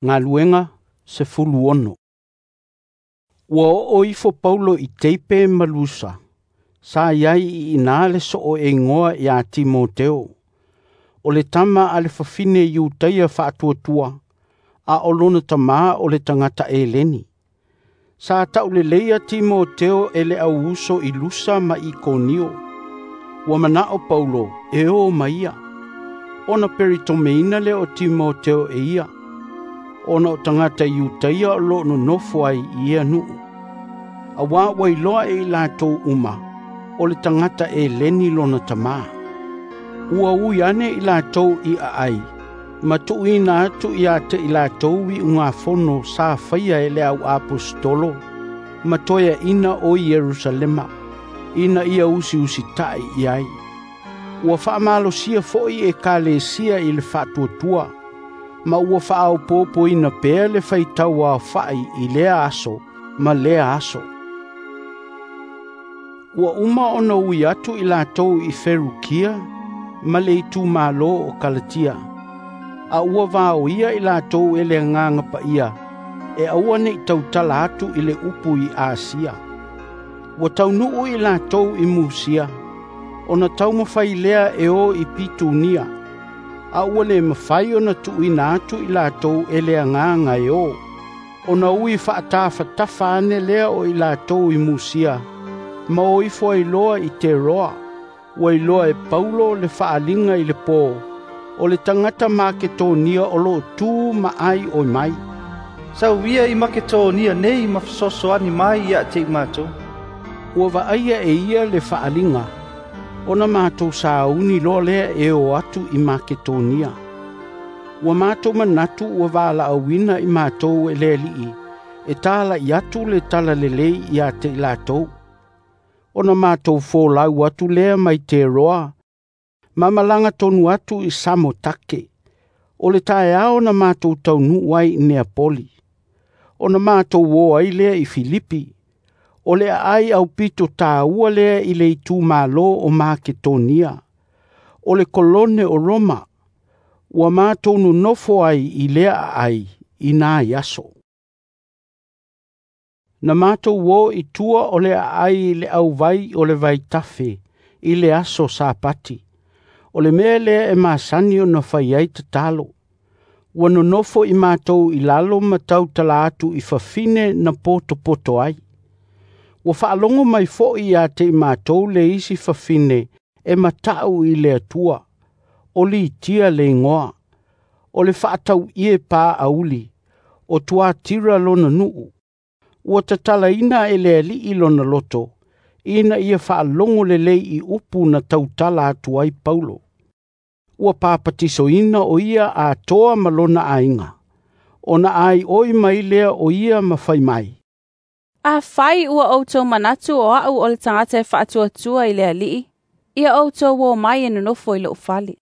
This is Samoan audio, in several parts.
Galuega 16. Ua oo ifo Paulo i Teipe ma Lusa, sa i ai i ina le soo e igoa ia Timoteo. O le tama a le fafine Iutaia faatuatua, a o lona tamā o le tagata Eleni. Sa tauleleia Timoteo e le au uso i Lusa ma Ikonio. Ua manao Paulo e o ma ia, ona peritomeina lea o Timoteo e ia, ona o tagata Iutaia o loo nonofo ai i ia nuu. Auā ua iloa e i latou uma, o le tagata Eleni lona tamā. Ua ui ane i latou i aai, ma tuuina atu ia te i latou iugafono sa faia e le au aposetolo, ma toeaina o Ierusalema, ina ia usiusitai i ai. Ua faamalosia foi ekalesia i le faatuatua, ma ua faaopoopoina pea le faitau aofai i lea aso ma lea aso. Ua uma ona ui atu i latou i Ferukia ma le itumalo o Kalatia, a ua vaoia i latou e le agaga paia e aua nei tautala atu i le upu i Asia. Ua taunuu i latou i Musia, ona taumafai lea e o i Pitunia, a ua le mafai ona tuuina atu i latou e le agaga e o, ona ui faatafatafa ane lea o i latou i Musia, ma o ifo ai loa i Teroa. Ua iloa e Paulo le faaliga i le pō, o le tagata Maketonia o loo tu ma ai oi mai. Sau ia i Maketonia nei ma fesoasoani mai ia te i matou. Ua vaaia e ia le faaliga, ona matou sauni loa lea e o atu i Maketonia. Ua matou manatu ua valaauina i matou e le Alii, e talai atu le talalelei ia te i latou. Ona matou folau atu lea mai Teroa, ma malaga tonu atu i Samotake. O le taeao na matou taunuu ai i Neapoli. Ona matou o ai lea i Filipi. O le aai aupito tāua lea i le itumalo o Maketonia. O le kolone o Roma. Ua matou nonofo ai i lea aai i nai aso. Na matou o i tua o le aai i le auvai o le vaitafe i le aso Sapati. O le mea lea e masani ona fai ai tatalo. Ua nonofo i matou i lalo ma tautala atu i fafine na potopoto ai. Ua faalogo mai foi ia te i matou le isi fafine e matau i le Atua, o Litia le igoa, o le faatauie paauli, o Tuatira lona nuu. Ua tatalaina e le Alii lona loto, ina ia faalogo lelei i upu na tautala atu ai Paulo. Ua papatisoina o ia atoa ma lona aiga, ona ai oi mai lea o ia ma fai mai. Afai ua outou manatu o au o le tagata e faatuatua i le Alii, ia outou o mai e nonofo i lou fale.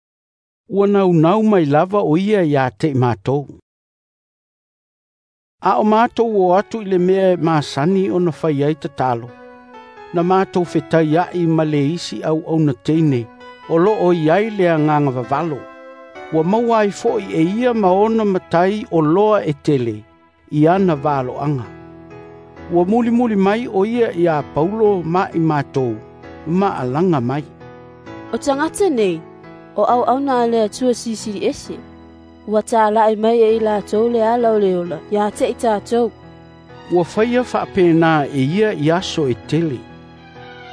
Ua naunau mai lava o ia ia te i matou. A o matou o atu i le mea e masani ona fai ai tatalo, na matou fetai ai ma le isi auauna teine, o loo i ai le agaga vavalo. Ua maua ai foi e ia ma ona matai o loa e tele i ana valoaga. Ua mulimuli mai o ia ia Paulo ma i matou, ma alaga mai. O tagata nei, o auauna a le Atua Silisili Ese, ua talai mai e i latou le ala o le ola ia te i tatou. Ua faia faapena e ia i aso e tele,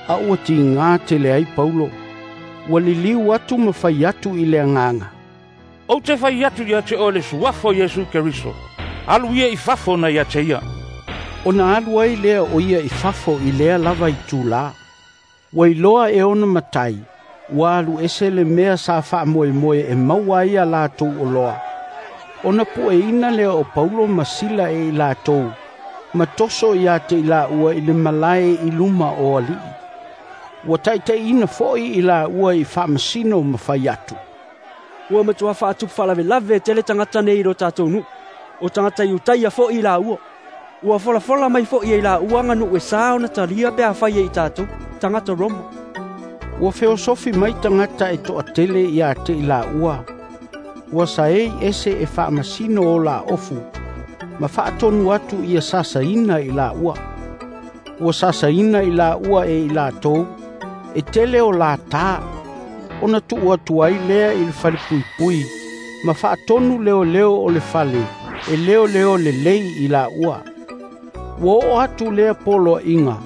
a ua tigā tele ai Paulo. Ua liliu atu ma fai atu i le agaga. Ou te fai atu ia te oe le suafa o Iesu Keriso, alu ia i fafo na ia te ia. Ona alu ai lea o ia i fafo i lea lava itulā. Ua iloa e ona matai, ua alu ese le mea sa faamoemoe e maua ai a latou oloa. Ona pueina lea o Paulo ma Sila e i latou, ma toso ia te i laua i le malae i luma o alii. Ua taitaiina foi i laua i faamasino ma fai atu. Ua matua faatupu faalavelave tele tagata nei i lo tatou nuu, o tagata Iutaia foi i laua. Ua folafola mai foi e i laua aganuu e sa ona talia pe afai e i tatou, tagata Roma. Ua feosofi mai tagata e toatele ia te i laua, Ua saei ese e faamasino o laofu, ma faatonu atu ia sasaina i laua. Ua sasaina i laua e i latou, e tele o latā, ona tuu atu ai lea i le falepuipui, ma faatonu leoleo o le fale, e leoleo lelei i laua. Ua oo atu lea poloaiga,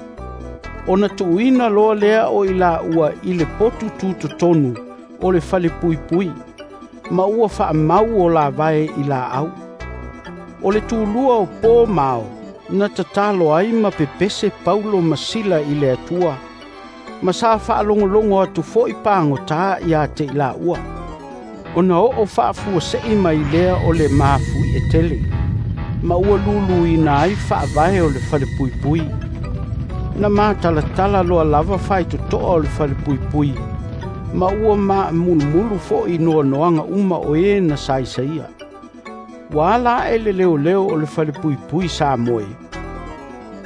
ona tuuina loa lea o i laua i le potu tutotonu o le falepuipui, ma ua faamau o lavae i laau. O le tulua o pō ma ao, na tatalo ai ma pepese Paulo ma Sila i le Atua, ma sa faalogologo atu foi pagotā ia te i laua. Ona oo faafuasei mai lea o le mafuie tele, ma ua luluina ai faavae o le falepuipui. Na matalatala loa lava faitotoa o le falepuipui, ma ua maamulumulu foi noanoaga uma o e na saisaia. Ua ala ae le leoleo o le falepuipui sa moe.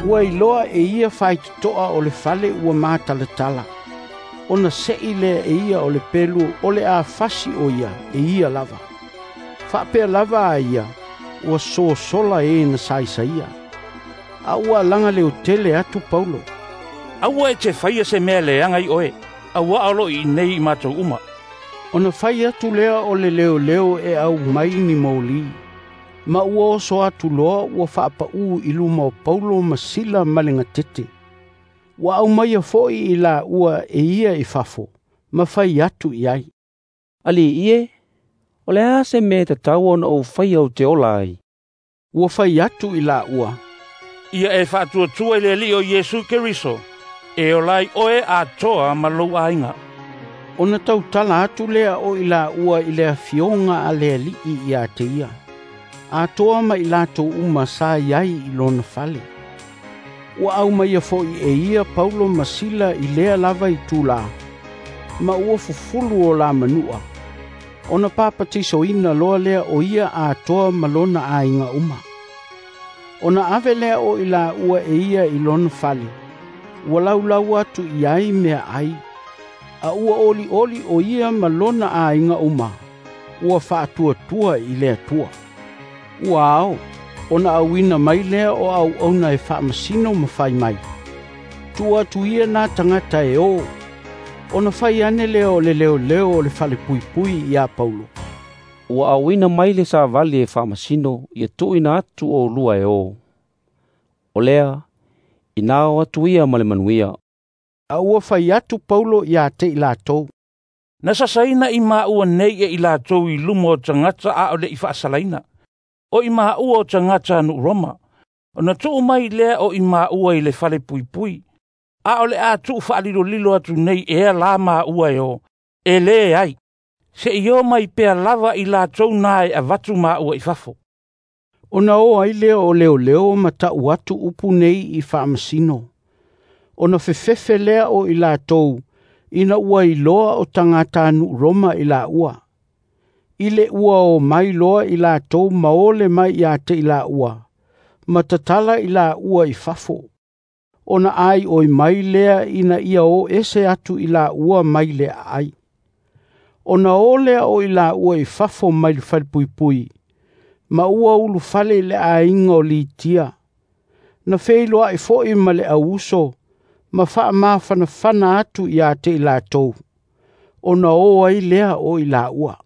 Ua iloa e ia faitotoa o le fale ua matalatala, ona sei lea e ia o le pelu o le a fasi o ia e ia lava. Faapea lava a ia, ua sosola e na saisaia. A ua alaga leo tele atu Paulo. Aua e te faia se mea leaga i oe, auā o loo i nei i matou uma. Ona fai atu lea o le leoleo e au mai ni moli, ma ua oso atu loa ua faapaū i luma o Paulo ma Sila ma le gatete. Ua aumaia foi i laua e ia i fafo, ma fai atu i ai. Alii e, o le a se mea e tatau ona ou faia ou te ola ai? Ua fai atu i laua. Ia e faatuatua i le Alii o Iesu Keriso, e ola ai oe atoa ma lou aiga. Ona tautala atu lea o i laua i le afioga a le Alii ia te ia, atoa ma i latou uma sa i ai i lona fale. Ua aumaia foi e ia Paulo ma Sila i lea lava i tulā, ma ua fufulu o la manua, ona papatisoina loa lea o ia atoa ma lona aiga uma. Ona ave lea o i laua e ia i lona fale, ua laulau atu i ai mea ai, a ua olioli o ia ma lona aiga uma, ua faatuatua i le Atua. Ua ao, ona auina mai lea o auauna e faamasino ma fai mai. Tuu atu ia nā tagata e o, ona fai ane lea o le leoleo o le falepuipui ia Paulo. Ua auina mai le savali e faamasino ia tuuina atu oulua e o. O lea, ina o atu ia ma le manuia. A ua fai atu Paulo ia te i latou. Na sasaina i maua nei e i latou i luma o tagata a o le i faasalaina. O i maua o tagata a nuu Roma. Ona tuu mai lea o i maua i le falepuipui. A o le a tuu faalilolilo atu nei ea la maua e o. E lē ai. Se i o mai pea lava i latou na e avatu maua i fafo. Ona o ai lea o leoleo ma tau atu upu nei i faamasino. Ona fefefe lea o i latou, ina ua iloa o tagata nuu Roma i laua. I le ua o mai loa i latou ma ole mai ia te i laua, ma tatala i laua i fafo. Ona ai oi mai lea ina ia o ese atu i laua mai le aai. Ona o lea o i laua i fafo mai le falepuipui, ma ua ulufale i le aiga o Litia. Na feiloai foi ma le auuso, ma faamafanafana atu ia te i latou, ona o ai lea o i laua.